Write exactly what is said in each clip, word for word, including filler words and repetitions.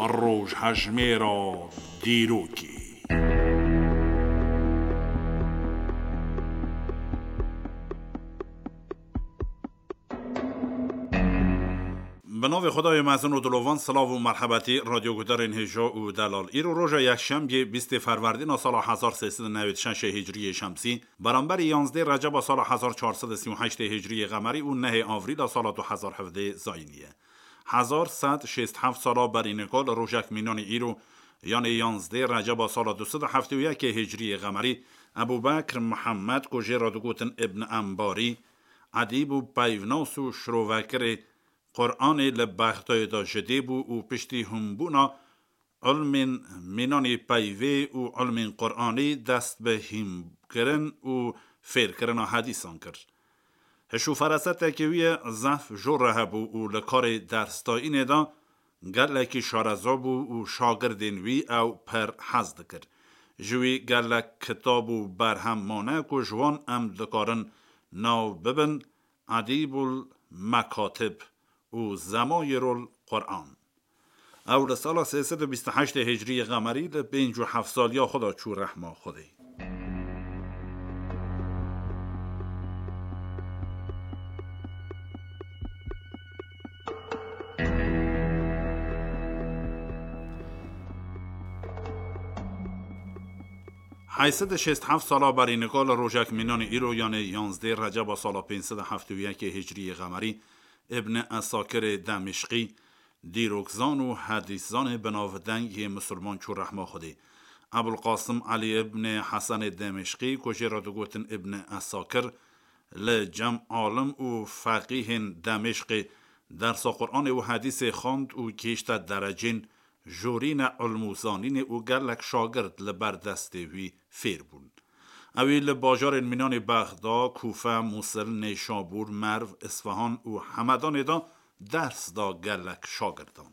Rojhejmêra dîrokê. Bi navê Xwedayê mezin û dilovan, silav û merhebetî radyogudarên hêja û delal. Îro roja yekşembiyê bîstê ferwerdîna sala hezar sê sed û newêd şeşê hicriyê şemsî, beramberî yanzdê receba sala hezar çar sed û sî û heştê hicriyê qemerî û nehê avrîla sala du hezar hevdê zayînî ye. Hezar sed şêst heft sala berî nika li rojek mînanî îro, yanê yanzdê receba sala du sed û heftê û yekê hicriyê qemerî, Ebû Bekr Mihemed, ku jê re digotin Ibn Embarî, edîb û peyvnas û şirovekirê Quranê li Bexdayê de ji dê bû û piştî hûnbûna ilmên mînanê peyvê û ilmên Quranê dest bi hînkirin û fêrkirina hedîsan kir. Hiş û ferasetekî wî ye zehf jor re hebû û li karê dersdayînê de gelekî şareza bû û şagirdên wî ew pir hez dikir. Ji wî gelek kitab û berhem mane ku ji wan em dikarin nav bibin Edîbul Mekatib û Zemayirul Quran. Ew li sala sê sed û bîst û heştê hicriyê qemerî li pênc û heft saliya xwe de çû rehma Xwedê. Heyt sed û şêst heft sala berî nika li rojek mînanê îro, yanê yanzdê receba sala pênc sed û heftê û yekê hicriyê qemerî, Ibn Esakirê Demişqî, dîrokzan û hedîszanê binavdeng yê misilman çû rehma Xwedê. Ebul Qasim Elî Ibn Hesenê Demişqî, ku jê re digotin Ibn Esakir, li cem alim û feqîhên Demişqê dersa Quranê û hedîsê xwend û gihişte derecên jorîne ilm û zanînê û gelek şagird li ber destê wî fêr bûn. Ew ê li bajarên mînanê Bexda, Kûfe, Mûsil, Nêşabûr, Merv, Isfahan û Hemedanê de ders da gelek şagirdan.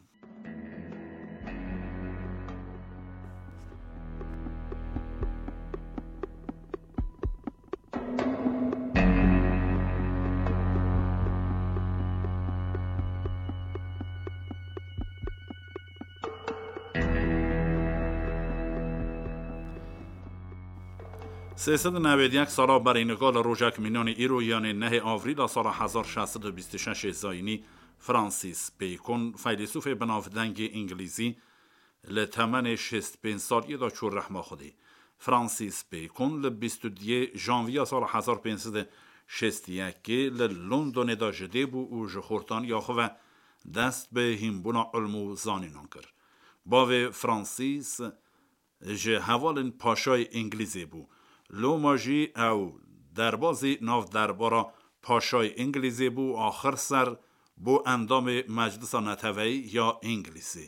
Sê sed û newêd yek sala berî nika li rojek mînanê îro, yanê nehê avrîla sala hezar şeş sed û bîst û şeş zayînî, Francis Bacon, feylesûfê binavdengê îngilîzî, li temenê şêst pênc saliyê de çû rehma Xwedê. Francis Bacon li bîst û duyê janviya sala hezar pênc sed û şêst û yekê li Londonê de ji dê bû û ji xortaniya xwe ve dest bi hînbûna ilm û zanînan kir. Bavê Francis ji hevalên paşayê Îngilîzê bû. Loma jî ew derbazî nav derbara paşayê Îngilîzê bû, axir ser bû endamê Meclisa Neteweyî ya Îngilîzê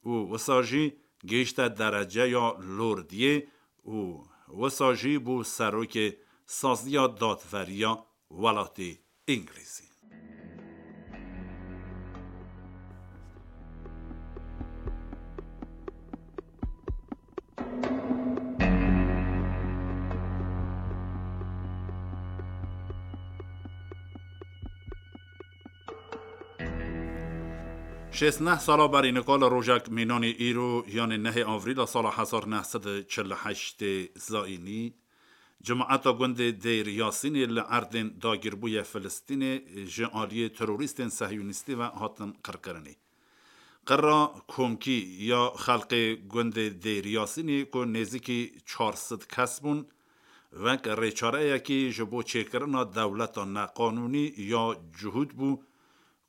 û wisa jî gihişte dereceya lordiyê û wisa jî bû serokê saziya dadveriya welatê Îngilîzî. Şêst neh sala berî nika li rojek mînanî îro, yanê nehê avrîla sala hezar neh sed û çil û heştê zayînî, Cemaeta gundê Dêr Yasînê li erdên dagîrbûyê Filistînê ji aliyê terorîstên sehyonîstî ve hatin qirkirinê. Qirra komkî ya xelkê gundê Dêr Yasînê ku nêzîkî çar sed kes bûn, wek rêçareyekî ji bo çêkirina dewleta neqanûnî ya cihûd bû,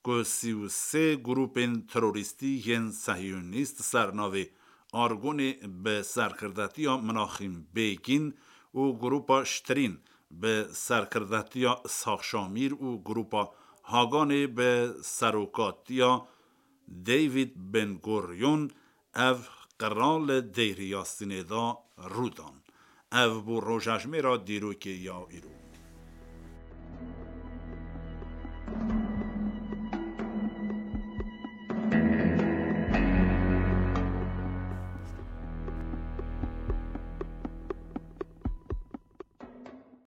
ku sî û sê grûpên terorîstî yên sehyonîst ser navê Argonê bi serkirdetiya Minaxîm Bêgîn û grûpa Ştirîn bi serkirdetiya Îshaq Şamîr û grûpa Haganê bi serokatiya David Ben Gurion ev qira li Dêrî Yasînê de rû dan. Ev bû rojejmêra dîrokê ya îro.